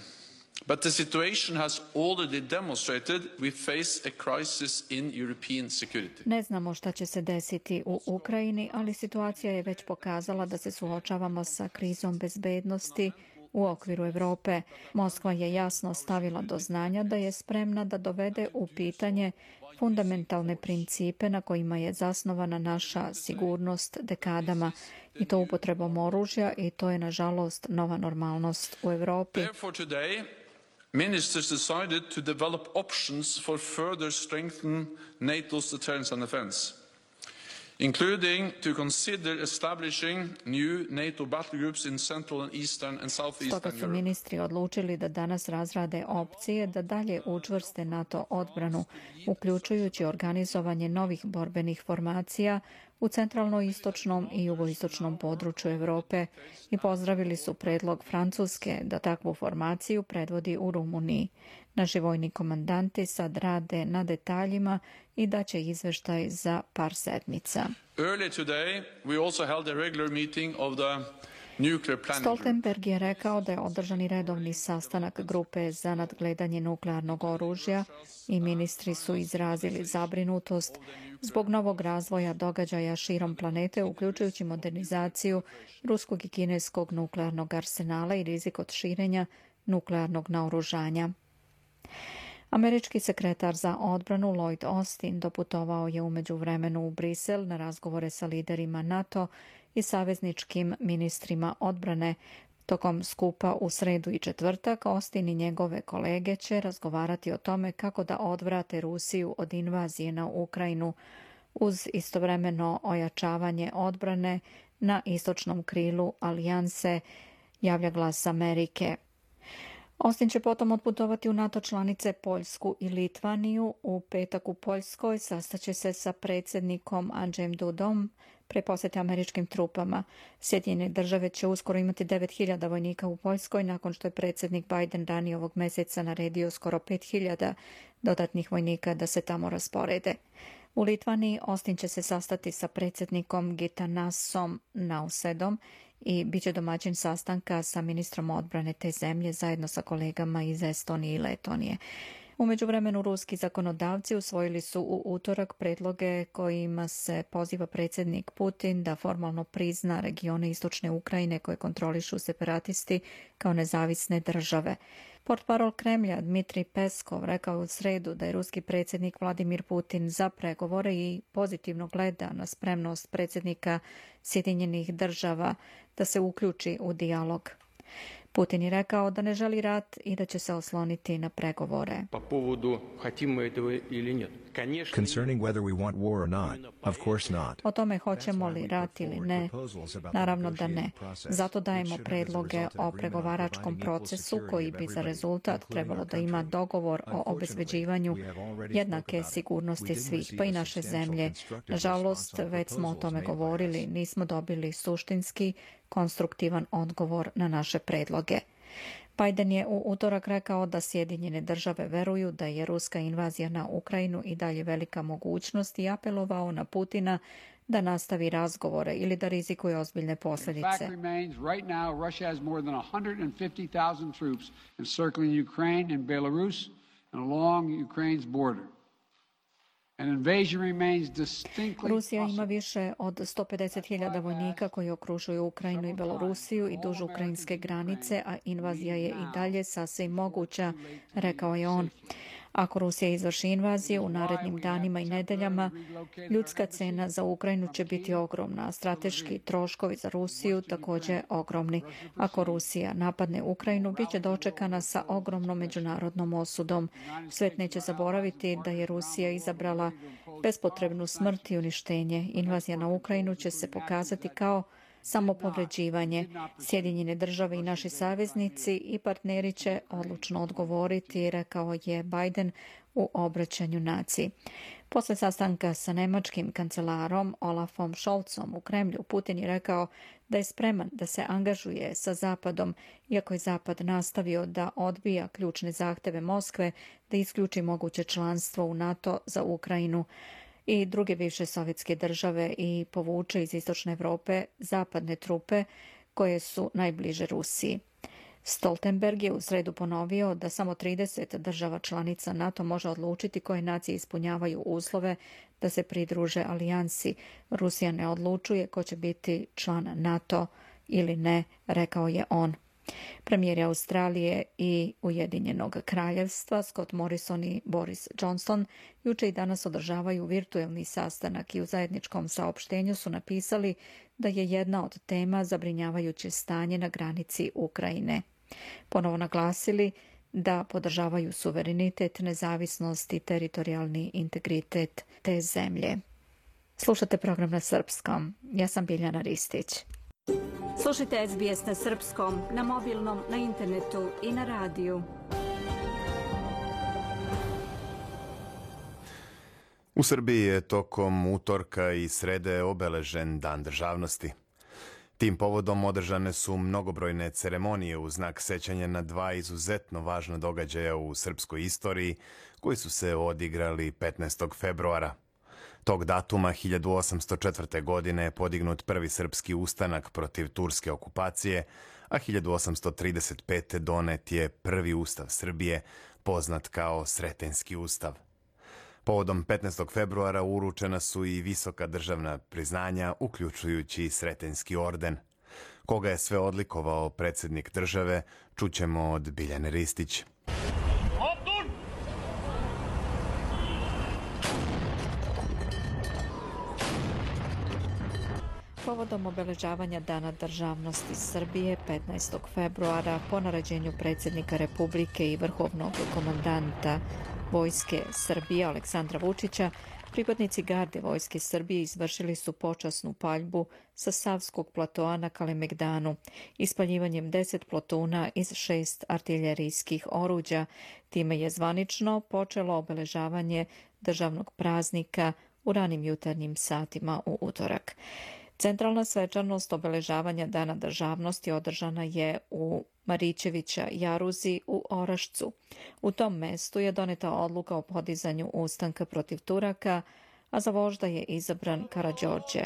but the situation has already demonstrated we face a crisis in European security. Ne znamo šta će se desiti u Ukrajini, ali situacija je već pokazala da se suočavamo sa krizom bezbednosti u okviru Europe. Moskva je jasno stavila do znanja da je spremna da dovede u pitanje fundamentalne principe na kojima je zasnovana naša sigurnost dekadama, i to upotrebom oružja, i to je nažalost nova normalnost u Europi. Therefore today, ministers decided to develop options for further strengthen NATO's deterrence and defense, including to consider establishing new NATO battle groups in Central and Eastern and Southeastern Stoga su Europe. ministri odlučili da danas razrade opcije da dalje učvrste NATO odbranu, uključujući organizovanje novih borbenih formacija u centralno-istočnom i jugoistočnom području Europe i pozdravili su predlog Francuske da takvu formaciju predvodi u Rumuniji. Naši vojni komandanti sad rade na detaljima i daće izveštaj za par sedmica. Stoltenberg je rekao da je održan i redovni sastanak grupe za nadgledanje nuklearnog oružja i ministri su izrazili zabrinutost zbog novog razvoja događaja širom planete, uključujući modernizaciju ruskog i kineskog nuklearnog arsenala i rizik od širenja nuklearnog naoružanja. Američki sekretar za odbranu Lloyd Austin doputovao je u međuvremenu u Brisel na razgovore sa liderima NATO i savezničkim ministrima odbrane. Tokom skupa u sredu i četvrtak Austin i njegove kolege će razgovarati o tome kako da odvrate Rusiju od invazije na Ukrajinu uz istovremeno ojačavanje odbrane na istočnom krilu alijanse, javlja Glas Amerike. Austin će potom otputovati u NATO članice Poljsku i Litvaniju. U petak u Poljskoj sastaće se sa predsjednikom Andžejem Dudom pre posjete američkim trupama. Sjedinjene države će uskoro imati 9.000 vojnika u Poljskoj nakon što je predsjednik Biden ranije ovog mjeseca naredio skoro 5.000 dodatnih vojnika da se tamo rasporede. U Litvaniji Austin će se sastati sa predsjednikom Gitanasom Nausedom i bit će domaćin sastanka sa ministrom odbrane te zemlje zajedno sa kolegama iz Estonije i Letonije. U međuvremenu ruski zakonodavci usvojili su u utorak predloge kojima se poziva predsjednik Putin da formalno prizna regione istočne Ukrajine koje kontrolišu separatisti kao nezavisne države. Portparol Kremlja Dmitrij Peskov rekao u sredu da je ruski predsjednik Vladimir Putin za pregovore i pozitivno gleda na spremnost predsjednika Sjedinjenih država da se uključi u dijalog. Putin je rekao da ne želi rat i da će se osloniti na pregovore. O tome hoćemo li rat ili ne? Naravno da ne. Zato dajemo predloge o pregovaračkom procesu koji bi za rezultat trebalo da ima dogovor o obezbeđivanju jednake sigurnosti svih, pa i naše zemlje. Nažalost, već smo o tome govorili, nismo dobili suštinski konstruktivan odgovor na naše predloge. Biden je u utorak rekao da Sjedinjene države veruju da je ruska invazija na Ukrajinu i dalje velika mogućnost i apelovao na Putina da nastavi razgovore ili da rizikuje ozbiljne posljedice. Rusija ima više od 150.000 vojnika koji okružuju Ukrajinu i Belorusiju i duž ukrajinske granice, a invazija je i dalje sasvim moguća, rekao je on. Ako Rusija izvrši invaziju u narednim danima i nedeljama, ljudska cena za Ukrajinu će biti ogromna, a strateški troškovi za Rusiju također ogromni. Ako Rusija napadne Ukrajinu, bit će dočekana sa ogromnom međunarodnom osudom. Svet neće zaboraviti da je Rusija izabrala bespotrebnu smrt i uništenje. Invazija na Ukrajinu će se pokazati kao samopovređivanje. Sjedinjene države i naši saveznici i partneri će odlučno odgovoriti, rekao je Biden u obraćanju naciji. Posle sastanka sa nemačkim kancelarom Olafom Scholzom u Kremlju, Putin je rekao da je spreman da se angažuje sa Zapadom, iako je Zapad nastavio da odbija ključne zahteve Moskve da isključi moguće članstvo u NATO za Ukrajinu i druge bivše sovjetske države i povuče iz istočne Evrope zapadne trupe koje su najbliže Rusiji. Stoltenberg je u sredu ponovio da samo 30 država članica NATO može odlučiti koje nacije ispunjavaju uslove da se pridruže alijansi. Rusija ne odlučuje ko će biti član NATO ili ne, rekao je on. Premijeri Australije i Ujedinjenog kraljevstva Scott Morrison i Boris Johnson juče i danas održavaju virtuelni sastanak i u zajedničkom saopštenju su napisali da je jedna od tema zabrinjavajuće stanje na granici Ukrajine. Ponovo naglasili da podržavaju suverenitet, nezavisnost i teritorijalni integritet te zemlje. Slušate program na srpskom. Ja sam Biljana Ristić. Slušajte SBS na srpskom, na mobilnom, na internetu i na radiju. U Srbiji je tokom utorka i srede obeležen Dan državnosti. Tim povodom održane su mnogobrojne ceremonije u znak sećanja na dva izuzetno važna događaja u srpskoj istoriji koji su se odigrali 15. februara. Tog datuma 1804. godine je podignut prvi srpski ustanak protiv turske okupacije, a 1835. donet je prvi ustav Srbije, poznat kao Sretenjski ustav. Povodom 15. februara uručena su i visoka državna priznanja, uključujući Sretenjski orden. Koga je sve odlikovao predsjednik države, čućemo od Biljane Ristić. Povodom obeležavanja Dana državnosti Srbije 15. februara po naređenju predsjednika Republike i vrhovnog komandanta Vojske Srbije Aleksandra Vučića, pripadnici garde Vojske Srbije izvršili su počasnu paljbu sa Savskog platoa na Kalemegdanu, ispaljivanjem 10 plotuna iz 6 artiljerijskih oruđa. Time je zvanično počelo obeležavanje državnog praznika u ranim jutarnjim satima u utorak. Centralna svečanost obeležavanja Dana državnosti održana je u Marićevića jaruzi u Orašcu. U tom mestu je doneta odluka o podizanju ustanka protiv Turaka, a za vožda je izabran Karađorđe.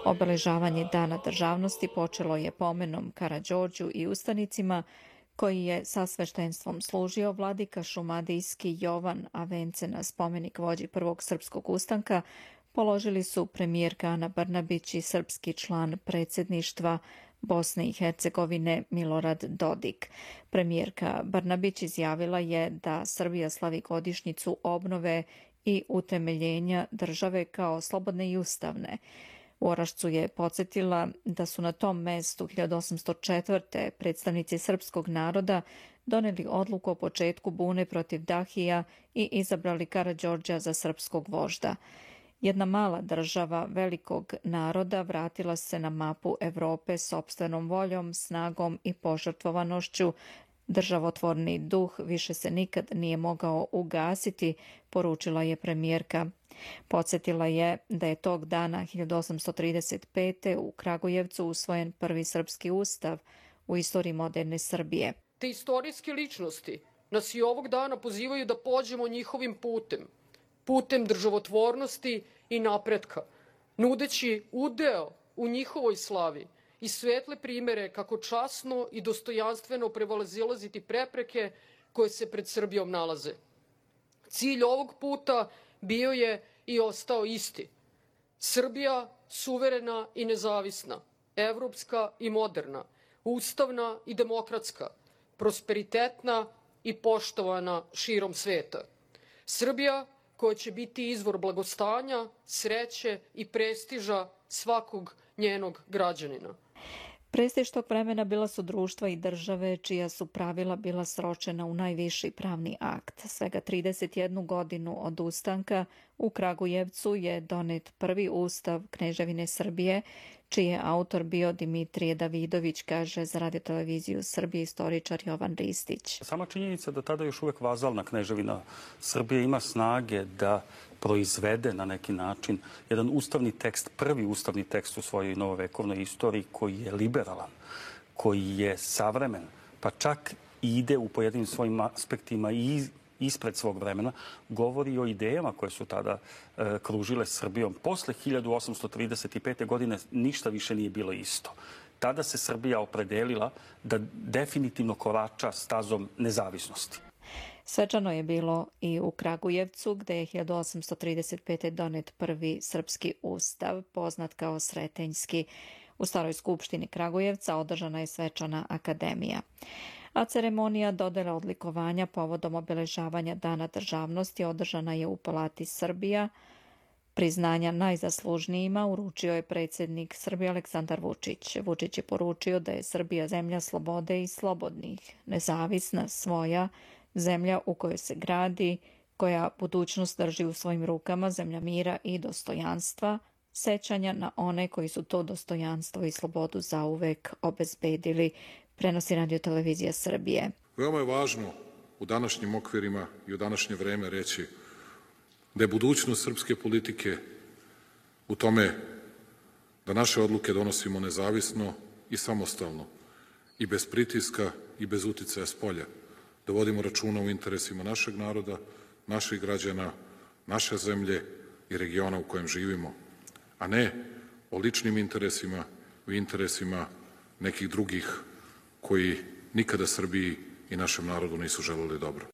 Obeležavanje Dana državnosti počelo je pomenom Karađorđu i ustanicima, koji je sa sveštenstvom služio vladika šumadijski Jovan, a vence na spomenik vođi prvog srpskog ustanka položili su premijerka Ana Brnabić i srpski član predsjedništva Bosne i Hercegovine Milorad Dodik. Premijerka Brnabić izjavila je da Srbija slavi godišnjicu obnove i utemeljenja države kao slobodne i ustavne. U Orašcu je podsjetila da su na tom mestu 1804. predstavnici srpskog naroda doneli odluku o početku bune protiv Dahija i izabrali Karađorđa za srpskog vožda. Jedna mala država velikog naroda vratila se na mapu Evrope sopstvenom voljom, snagom i požrtvovanošću. Državotvorni duh više se nikad nije mogao ugasiti, poručila je premijerka. Podsjetila je da je tog dana 1835. u Kragujevcu usvojen prvi srpski ustav u istoriji moderne Srbije. Te istorijske ličnosti nas i ovog dana pozivaju da pođemo njihovim putem državotvornosti i napretka, nudeći udeo u njihovoj slavi i svetle primere kako časno i dostojanstveno prevalazilaziti prepreke koje se pred Srbijom nalaze. Cilj ovog puta bio je i ostao isti. Srbija suverena i nezavisna, evropska i moderna, ustavna i demokratska, prosperitetna i poštovana širom sveta. Srbija koja će biti izvor blagostanja, sreće i prestiža svakog njenog građanina. Prestiž tog vremena bila su društva i države čija su pravila bila sročena u najviši pravni akt. Svega 31 godinu od ustanka u Kragujevcu je donet prvi ustav Kneževine Srbije, čiji je autor bio Dimitrije Davidović, kaže za Radio-televiziju Srbije istoričar Jovan Ristić. Sama činjenica da tada još uvek vazalna Kneževina Srbije ima snage da proizvede na neki način jedan ustavni tekst, prvi ustavni tekst u svojoj novovekovnoj istoriji koji je liberalan, koji je savremen, pa čak ide u pojedinim svojim aspektima i ispred svog vremena, govori o idejama koje su tada kružile Srbijom. Posle 1835. godine ništa više nije bilo isto. Tada se Srbija opredelila da definitivno korača stazom nezavisnosti. Svečano je bilo i u Kragujevcu, gde je 1835. donet prvi srpski ustav, poznat kao Sretenjski. U Staroj skupštini Kragujevca održana je svečana akademija. A ceremonija dodele odlikovanja povodom obeležavanja Dana državnosti održana je u Palati Srbija. Priznanja najzaslužnijima uručio je predsjednik Srbije Aleksandar Vučić. Vučić je poručio da je Srbija zemlja slobode i slobodnih, nezavisna, svoja, zemlja u kojoj se gradi, koja budućnost drži u svojim rukama, zemlja mira i dostojanstva, sećanja na one koji su to dostojanstvo i slobodu zauvek obezbedili, prenosi Radio-televizija Srbije. Veoma je važno u današnjim okvirima i u današnje vreme reći da je budućnost srpske politike u tome da naše odluke donosimo nezavisno i samostalno i bez pritiska i bez uticaja spolja, da vodimo računa o interesima našeg naroda, naših građana, naše zemlje i regiona u kojem živimo, a ne o ličnim interesima i interesima nekih drugih koji nikada Srbiji i našem narodu nisu želeli dobro.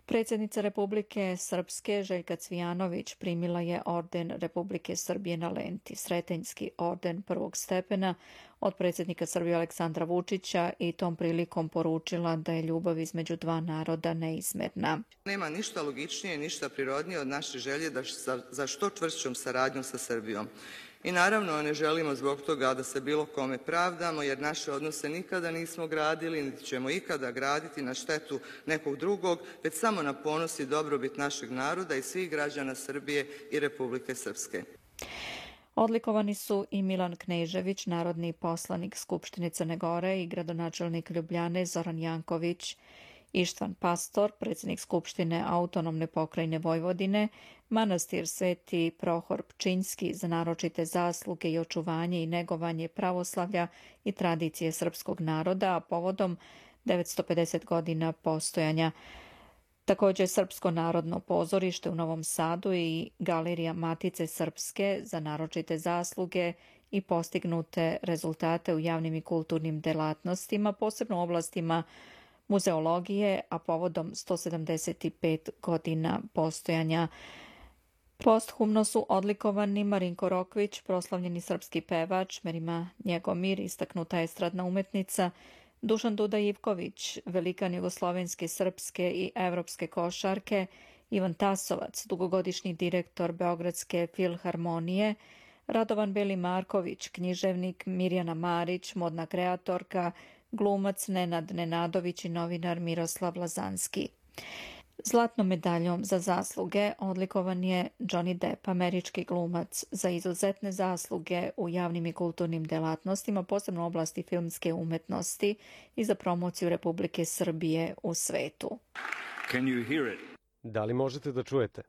Predsjednica Republike Srpske Željka Cvijanović primila je orden Republike Srbije na lenti, Sretenjski orden prvog stepena od predsjednika Srbije Aleksandra Vučića i tom prilikom poručila da je ljubav između dva naroda neizmerna. Nema ništa logičnije i ništa prirodnije od naše želje za što čvršćom saradnjom sa Srbijom. I naravno ne želimo zbog toga da se bilo kome pravdamo, jer naše odnose nikada nismo gradili, niti ćemo ikada graditi na štetu nekog drugog, već samo na ponos i dobrobit našeg naroda i svih građana Srbije i Republike Srpske. Odlikovani su i Milan Knežević, narodni poslanik Skupštine Crne Gore i gradonačelnik Ljubljane Zoran Janković, Ištvan Pastor, predsjednik Skupštine Autonomne pokrajine Vojvodine, manastir Sveti Prohor Pčinjski za naročite zasluge i očuvanje i negovanje pravoslavlja i tradicije srpskog naroda, a povodom 950 godina postojanja. Također Srpsko narodno pozorište u Novom Sadu i Galerija Matice Srpske za naročite zasluge i postignute rezultate u javnim i kulturnim delatnostima, posebno u oblastima muzeologije, a povodom 175 godina postojanja. Posthumno su odlikovani Marinko Rokvić, proslavljeni srpski pevač, Merima Njegomir, istaknuta estradna umetnica, Dušan Duda Ivković, velikan jugoslovenske, srpske i evropske košarke, Ivan Tasovac, dugogodišnji direktor Beogradske filharmonije, Radovan Beli Marković, književnik, Mirjana Marić, modna kreatorka, glumac Nenad Nenadović i novinar Miroslav Lazanski. Zlatnom medaljom za zasluge odlikovan je Johnny Depp, američki glumac, za izuzetne zasluge u javnim i kulturnim delatnostima, posebno u oblasti filmske umetnosti i za promociju Republike Srbije u svetu. Can you hear it? Da li možete da čujete?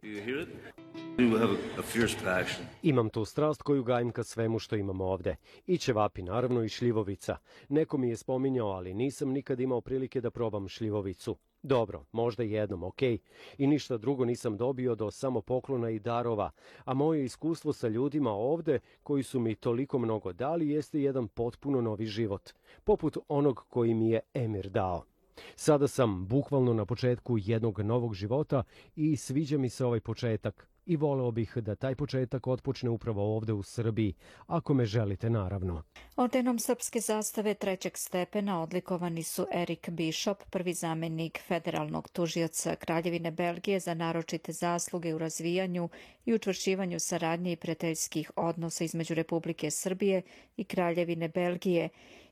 Imam tu strast koju gajim ka svemu što imamo ovde. I ćevapi, naravno, i šljivovica. Neko mi je spominjao, ali nisam nikad imao prilike da probam šljivovicu. Dobro, možda jednom, okej. I ništa drugo nisam dobio do samo poklona i darova, a moje iskustvo sa ljudima ovde, koji su mi toliko mnogo dali, jeste jedan potpuno novi život, poput onog koji mi je Emir dao. Sada sam bukvalno na početku jednog novog života i sviđa mi se ovaj početak i voleo bih da taj početak otpočne upravo ovde u Srbiji, ako me želite, naravno. Ordenom srpske zastave trećeg stepena odlikovani su Erik Bishop, prvi zamenik federalnog tužioca Kraljevine Belgije za naročite zasluge u razvijanju i učvršćivanju saradnje i prijateljskih odnosa između Republike Srbije i Kraljevine Belgije,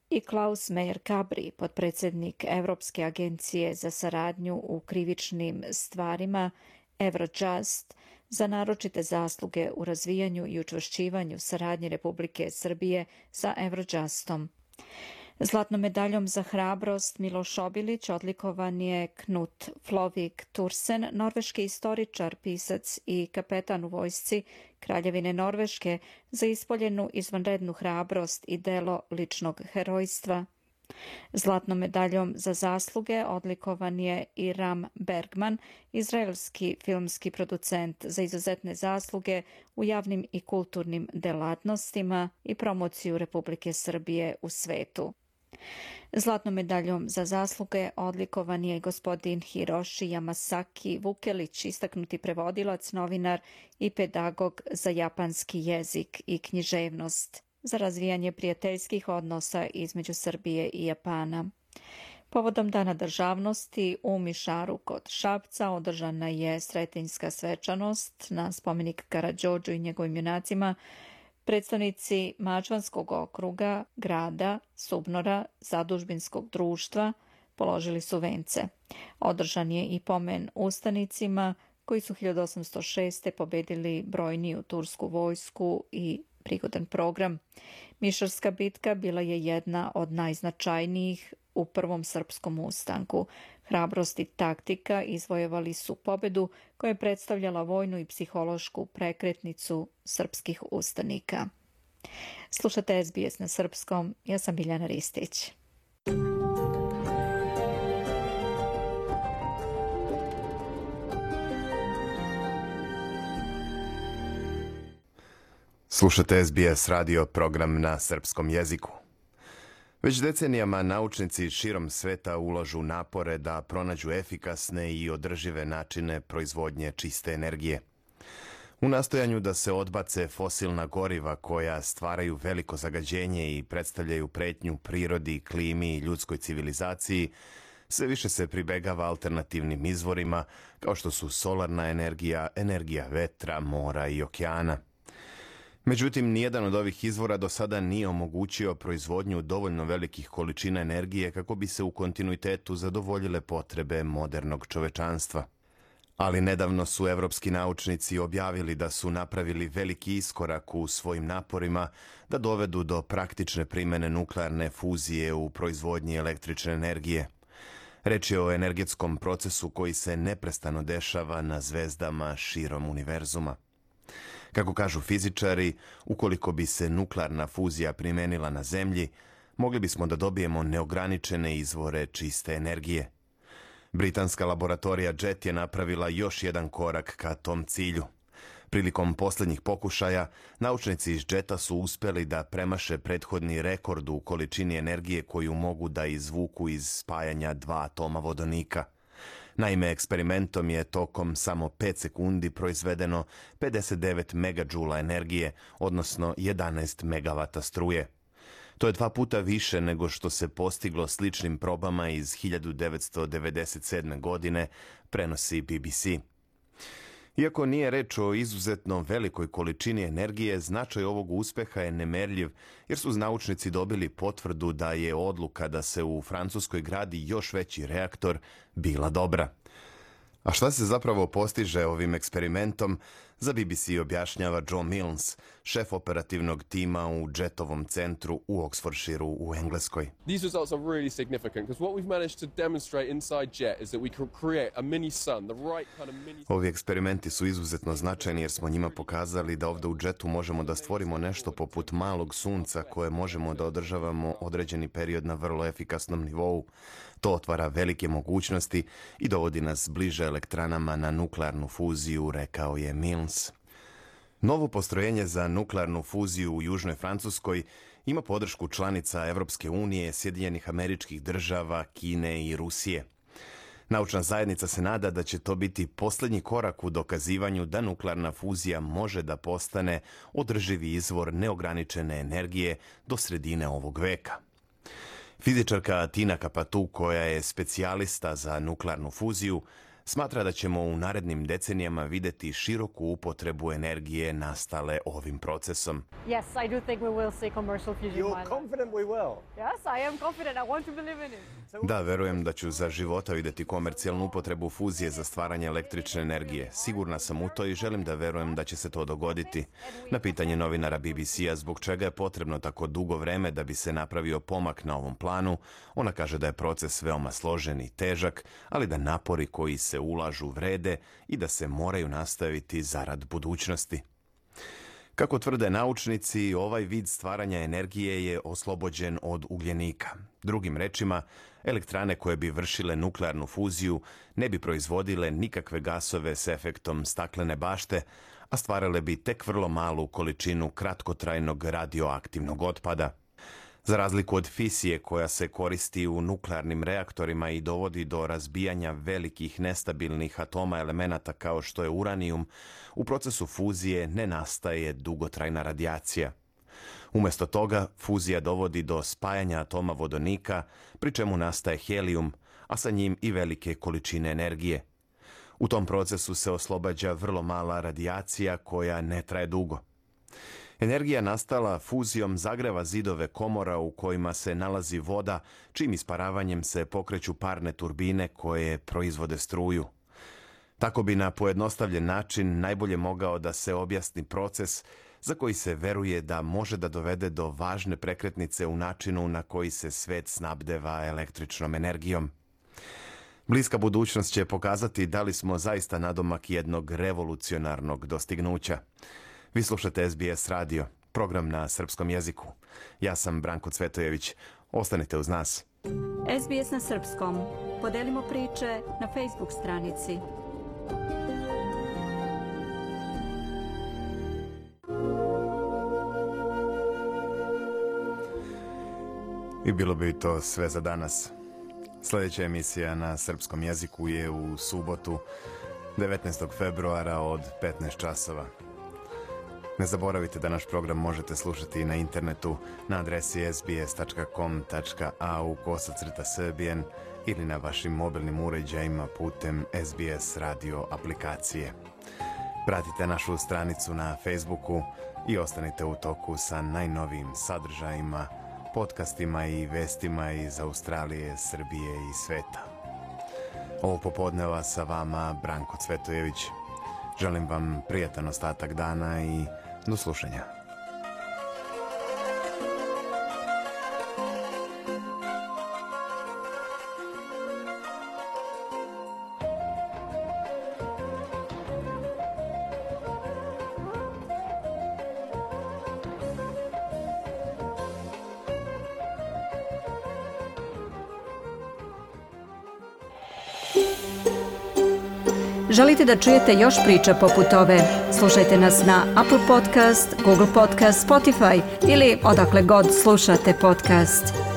i Klaus Meyer Kabri, potpredsjednik Evropske agencije za saradnju u krivičnim stvarima Eurojust, za naročite zasluge u razvijanju i učvršćivanju saradnje Republike Srbije sa Eurojustom. Zlatnom medaljom za hrabrost Miloš Obilić odlikovan je Knut Flovik Tursen, norveški istoričar, pisac i kapetan u vojsci Kraljevine Norveške, za ispoljenu izvanrednu hrabrost i delo ličnog herojstva. Zlatnom medaljom za zasluge odlikovan je i Ram Bergman, izraelski filmski producent, za izuzetne zasluge u javnim i kulturnim delatnostima i promociju Republike Srbije u svetu. Zlatnom medaljom za zasluge odlikovan je gospodin Hiroshi Yamasaki Vukelić, istaknuti prevodilac, novinar i pedagog za japanski jezik i književnost, za razvijanje prijateljskih odnosa između Srbije i Japana. Povodom Dana državnosti u Mišaru kod Šapca održana je sretenjska svečanost na spomenik Karađorđu i njegovim junacima. Predstavnici Mačvanskog okruga, grada, Subnora, Zadužbinskog društva položili su vence. Održan je i pomen ustanicima koji su 1806. pobedili brojniju tursku vojsku i prigodan program. Mišarska bitka bila je jedna od najznačajnijih u prvom srpskom ustanku. Hrabrost i taktika izvojevali su pobedu koja je predstavljala vojnu i psihološku prekretnicu srpskih ustanika. Slušate SBS na srpskom, ja sam Biljana Ristić. Slušate SBS radio program na srpskom jeziku. Već decenijama naučnici širom sveta ulažu napore da pronađu efikasne i održive načine proizvodnje čiste energije. U nastojanju da se odbace fosilna goriva koja stvaraju veliko zagađenje i predstavljaju pretnju prirodi, klimi i ljudskoj civilizaciji, sve više se pribegava alternativnim izvorima kao što su solarna energija, energija vetra, mora i okeana. Međutim, nijedan od ovih izvora do sada nije omogućio proizvodnju dovoljno velikih količina energije kako bi se u kontinuitetu zadovoljile potrebe modernog čovečanstva. Ali nedavno su evropski naučnici objavili da su napravili veliki iskorak u svojim naporima da dovedu do praktične primjene nuklearne fuzije u proizvodnji električne energije. Reč je o energetskom procesu koji se neprestano dešava na zvezdama širom univerzuma. Kako kažu fizičari, ukoliko bi se nuklearna fuzija primenila na Zemlji, mogli bismo da dobijemo neograničene izvore čiste energije. Britanska laboratorija JET je napravila još jedan korak ka tom cilju. Prilikom posljednjih pokušaja, naučnici iz JET-a su uspjeli da premaše prethodni rekord u količini energije koju mogu da izvuku iz spajanja dva atoma vodonika. Naime, eksperimentom je tokom samo 5 sekundi proizvedeno 59 megadžula energije, odnosno 11 megavata struje. To je 2 puta više nego što se postiglo sličnim probama iz 1997. godine, prenosi BBC. Iako nije reč o izuzetno velikoj količini energije, značaj ovog uspeha je nemerljiv, jer su naučnici dobili potvrdu da je odluka da se u Francuskoj gradi još veći reaktor bila dobra. A šta se zapravo postiže ovim eksperimentom, za BBC objašnjava Joe Milnes, šef operativnog tima u JET-ovom centru u Oxfordshireu u Engleskoj. These results are really significant because what we've managed to demonstrate inside JET is that we can create a mini sun, the right kind of mini. Ovi eksperimenti su izuzetno značajni jer smo njima pokazali da ovdje u JET-u možemo da stvorimo nešto poput malog sunca koje možemo da održavamo određeni period na vrlo efikasnom nivou. To otvara velike mogućnosti i dovodi nas bliže elektranama na nuklearnu fuziju, rekao je Milnes. Novo postrojenje za nuklearnu fuziju u Južnoj Francuskoj ima podršku članica Evropske unije, Sjedinjenih Američkih Država, Kine i Rusije. Naučna zajednica se nada da će to biti posljednji korak u dokazivanju da nuklearna fuzija može da postane održivi izvor neograničene energije do sredine ovog veka. Fizičarka Tina Kapatu, koja je specijalista za nuklearnu fuziju, smatra da ćemo u narednim decenijama vidjeti široku upotrebu energije nastale ovim procesom. Yes, I do think we will see commercial fusion. You're confident we will? Yes, I am confident. I want to believe in it. Da, verujem da ću za života vidjeti komercijalnu upotrebu fuzije za stvaranje električne energije. Sigurna sam u to i želim da verujem da će se to dogoditi. Na pitanje novinara BBC-a zbog čega je potrebno tako dugo vreme da bi se napravio pomak na ovom planu, ona kaže da je proces veoma složen i težak, ali da napori koji se ulažu vrede i da se moraju nastaviti zarad budućnosti. Kako tvrde naučnici, ovaj vid stvaranja energije je oslobođen od ugljenika. Drugim rečima, elektrane koje bi vršile nuklearnu fuziju ne bi proizvodile nikakve gasove s efektom staklene bašte, a stvarale bi tek vrlo malu količinu kratkotrajnog radioaktivnog otpada. Za razliku od fisije koja se koristi u nuklearnim reaktorima i dovodi do razbijanja velikih nestabilnih atoma elemenata kao što je uranijum, u procesu fuzije ne nastaje dugotrajna radijacija. Umjesto toga, fuzija dovodi do spajanja atoma vodonika, pri čemu nastaje helijum, a sa njim i velike količine energije. U tom procesu se oslobađa vrlo mala radijacija koja ne traje dugo. Energija nastala fuzijom zagreva zidove komora u kojima se nalazi voda, čim isparavanjem se pokreću parne turbine koje proizvode struju. Tako bi na pojednostavljen način najbolje mogao da se objasni proces za koji se veruje da može da dovede do važne prekretnice u načinu na koji se svet snabdeva električnom energijom. Bliska budućnost će pokazati da li smo zaista nadomak jednog revolucionarnog dostignuća. Vi slušate SBS radio, program na srpskom jeziku. Ja sam Branko Cvetojević. Ostanite uz nas. SBS na srpskom. Podelimo priče na Facebook stranici. I bilo bi to sve za danas. Sljedeća emisija na srpskom jeziku je u subotu 19. februara od 15 časova. Ne zaboravite da naš program možete slušati na internetu na adresi sbs.com.au/srbijen ili na vašim mobilnim uređajima putem SBS radio aplikacije. Pratite našu stranicu na Facebooku i ostanite u toku sa najnovijim sadržajima, podcastima i vestima iz Australije, Srbije i sveta. Ovo popodneva sa vama Branko Cvetojević. Želim vam prijatan ostatak dana i do slušanja. Želite da čujete još priča poput ove? Slušajte nas na Apple Podcast, Google Podcast, Spotify ili odakle god slušate podcast.